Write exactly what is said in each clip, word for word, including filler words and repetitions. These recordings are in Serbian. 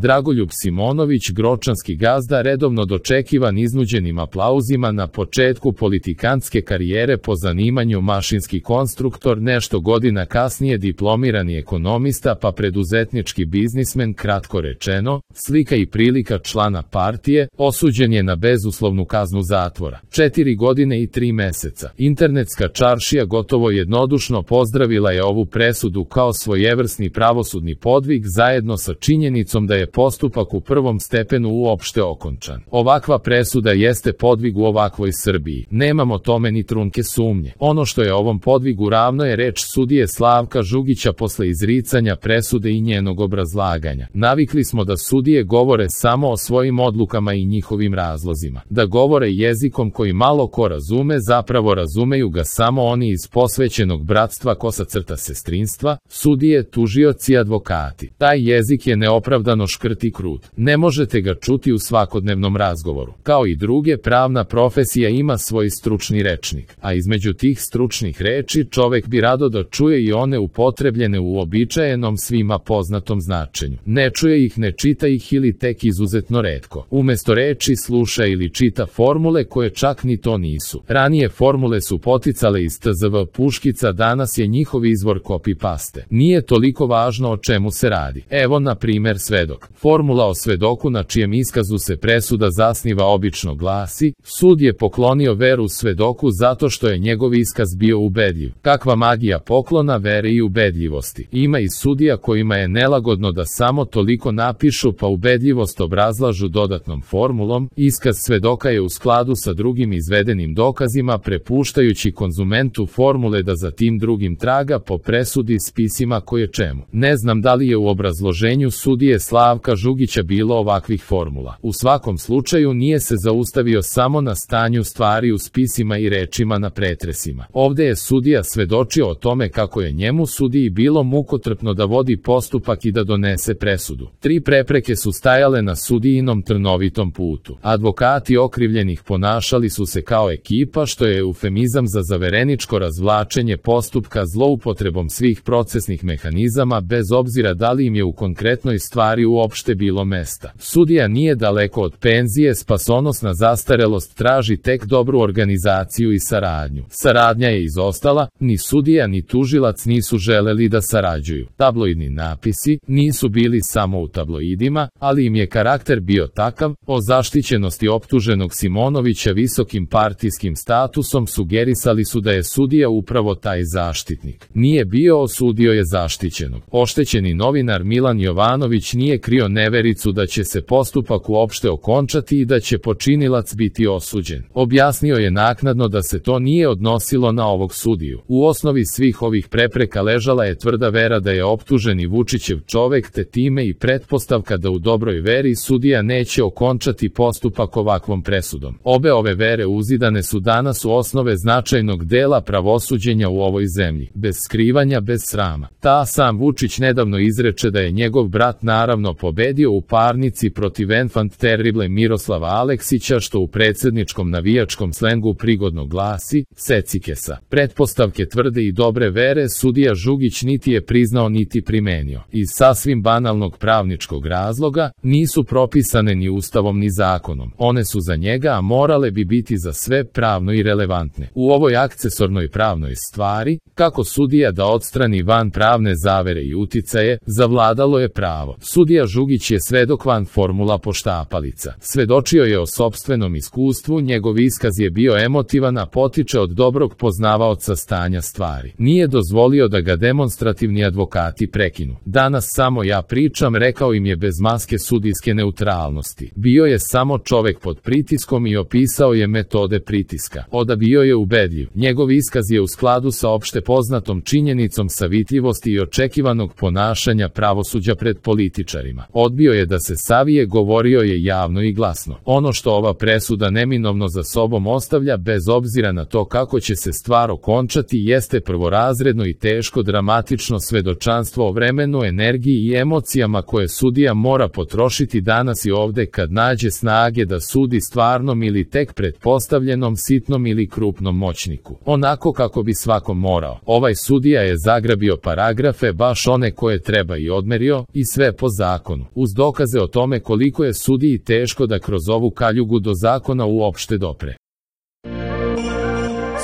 Dragoljub Simonović, gročanski gazda, redovno dočekivan iznuđenim aplauzima na početku politikantske karijere po zanimanju mašinski konstruktor, nešto godina kasnije diplomirani ekonomista pa preduzetnički biznismen, kratko rečeno, slika i prilika člana partije, osuđen je na bezuslovnu kaznu zatvora. Četiri godine i tri meseca. Internetska čaršija gotovo jednodušno pozdravila je ovu presudu kao svojevrsni pravosudni podvig zajedno sa činjenicom da je postupak u prvom stepenu uopšte okončan. Ovakva presuda jeste podvig u ovakvoj Srbiji. Nemamo tome ni trunke sumnje. Ono što je ovom podvigu ravno je reč sudije Slavka Žugića posle izricanja presude i njenog obrazlaganja. Navikli smo da sudije govore samo o svojim odlukama i njihovim razlozima. Da govore jezikom koji malo ko razume, zapravo razumeju ga samo oni iz posvećenog bratstva kosa crta sestrinstva, sudije, tužioci i advokati. Taj jezik je neopravdano škrt i krut. Ne možete ga čuti u svakodnevnom razgovoru. Kao i druge, pravna profesija ima svoj stručni rečnik, a između tih stručnih reči čovek bi rado da čuje i one upotrebljene u uobičajenom svima poznatom značenju. Ne čuje ih, ne čita ih ili tek izuzetno retko. Umesto reči sluša ili čita formule koje čak ni to nisu. Ranije formule su poticale iz T Z V puškica, danas je njihov izvor copy-paste. Nije toliko važno o čemu se radi. Evo na primer svedok. Formula o svedoku na čijem iskazu se presuda zasniva obično glasi: sud je poklonio veru svedoku zato što je njegov iskaz bio ubedljiv. Kakva magija poklona vere i ubedljivosti. Ima i sudija kojima je nelagodno da samo toliko napišu pa ubedljivost obrazlažu dodatnom formulom. Iskaz svedoka je u skladu sa drugim izvedenim dokazima, prepuštajući konzumentu formule da za tim drugim traga po presudi spisima koje čemu. Ne znam da li je u obrazloženju sudije Slavka Žugića bilo ovakvih formula. U svakom slučaju nije se zaustavio samo na stanju stvari u spisima i rečima na pretresima. Ovde je sudija svedočio o tome kako je njemu sudiji bilo mukotrpno da vodi postupak i da donese presudu. Tri prepreke su stajale na sudijinom trnovitom putu. Advokati okrivljenih ponašali su se kao ekipa, što je eufemizam za zavereničko razvlačenje postupka zloupotrebom svih procesnih mehanizama, bez obzira da li im je u konkretnoj stvari uopšte bilo mesta. Sudija nije daleko od penzije, spasonosna zastarelost traži tek dobru organizaciju i saradnju. Saradnja je izostala, ni sudija ni tužilac nisu želeli da sarađuju. Tabloidni napisi nisu bili samo u tabloidima, ali im je karakter bio takav. O zaštićenosti optuženog Simonovića visokim partijskim statusom sugerisali su da je sudija upravo taj zaštitnik. Nije bio, osudio je zaštićenog. Oštećeni novinar Milan Jovanović nije krio nevericu da će se postupak uopšte okončati i da će počinilac biti osuđen. Objasnio je naknadno da se to nije odnosilo na ovog sudiju. U osnovi svih ovih prepreka ležala je tvrda vera da je optuženi Vučićev čovek, te time i pretpostavka da u dobroj veri sudija neće okončati postupak ovakvom presudom. Obe ove vere uzidane su danas u osnove značajnog dela pravosuđenja u ovoj zemlji, bez skrivanja, bez srama. Ta sam Vučić nedavno izreče da je njegov brat naravno pobedio u parnici protiv enfant terrible Miroslava Aleksića, što u predsedničkom navijačkom slengu prigodno glasi secikesa. Pretpostavke tvrde i dobre vere sudija Žugić niti je priznao niti primenio. Iz sasvim banalnog pravničkog razloga, nisu propisane ni ustavom ni zakonom. One su za njega, a morale bi biti za sve pravno i relevantne. U ovoj akcesornoj pravnoj stvari, kako sudija da odstrani van pravne zavere i uticaje, zavladalo je pravo. Sudija Žugić je svedok van formula poštapalica. Svedočio je o sopstvenom iskustvu, njegov iskaz je bio emotivan, a potiče od dobrog poznavaoca stanja stvari. Nije dozvolio da ga demonstrativni advokati prekinu. Danas samo ja pričam, rekao im je bez maske sudijske neutralnosti. Bio je samo čovek pod pritiskom i opisao je metode pritiska. Oda bio je ubedljiv. Njegov iskaz je u skladu sa opšte poznatom činjenicom savitljivosti i očekivanog ponašanja pravosuđa pred političarima. Odbio je da se savije, govorio je javno i glasno. Ono što ova presuda neminovno za sobom ostavlja, bez obzira na to kako će se stvar okončati, jeste prvorazredno i teško dramatično svedočanstvo o vremenu, energiji i emocijama koje sudija mora potrošiti danas i ovde kad nađe snage da sudi stvarnom ili tek pretpostavljenom sitnom ili krupnom moćniku. Onako kako bi svako morao. Ovaj sudija je zagrabio paragrafe, baš one koje treba, i odmerio, i sve po zakonu. zakonu, uz dokaze o tome koliko je sudiji teško da kroz ovu kaljugu do zakona uopšte dopre.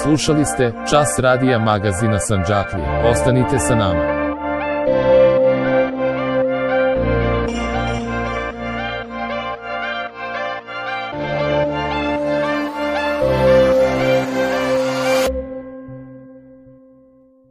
Slušali ste Čas radija magazina Sandžaklije. Ostanite sa nama.